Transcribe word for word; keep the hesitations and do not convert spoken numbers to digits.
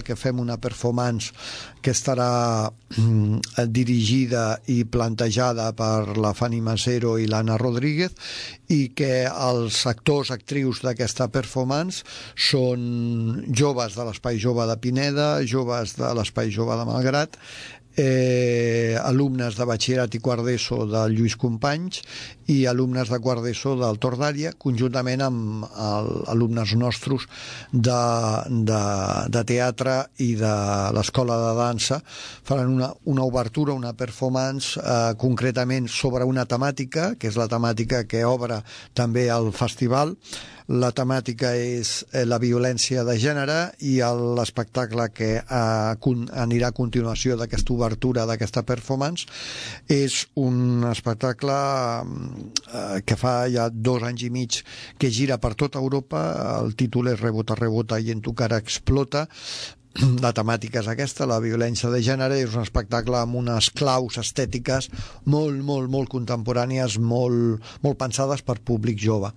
que fem una performance que estarà mm, dirigida i plantejada per la Fanny Macero i l'Anna Rodríguez, i que els actors, actrius d'aquesta performance són joves de l'Espai Jove de Pineda, joves de l'Espai Jove de Malgrat, eh, alumnes de batxillerat i quart d'ESO del Lluís Companys i alumnes de quart d'ESO del Tordària, conjuntament amb el, alumnes nostres de, de, de teatre i de l'escola de dansa. Faran una, una obertura, una performance eh, concretament sobre una temàtica, que és la temàtica que obre també el festival. La temàtica és la violència de gènere, i l'espectacle que eh, anirà a continuació d'aquesta obertura d'aquesta performance és un espectacle eh, que fa ja dos anys i mig que gira per tota Europa. El títol és Rebota, rebota i en tu cara explota. La temàtica és aquesta, la violència de gènere. És un espectacle amb unes claus estètiques molt, molt, molt contemporànies, molt, molt pensades per públic jove.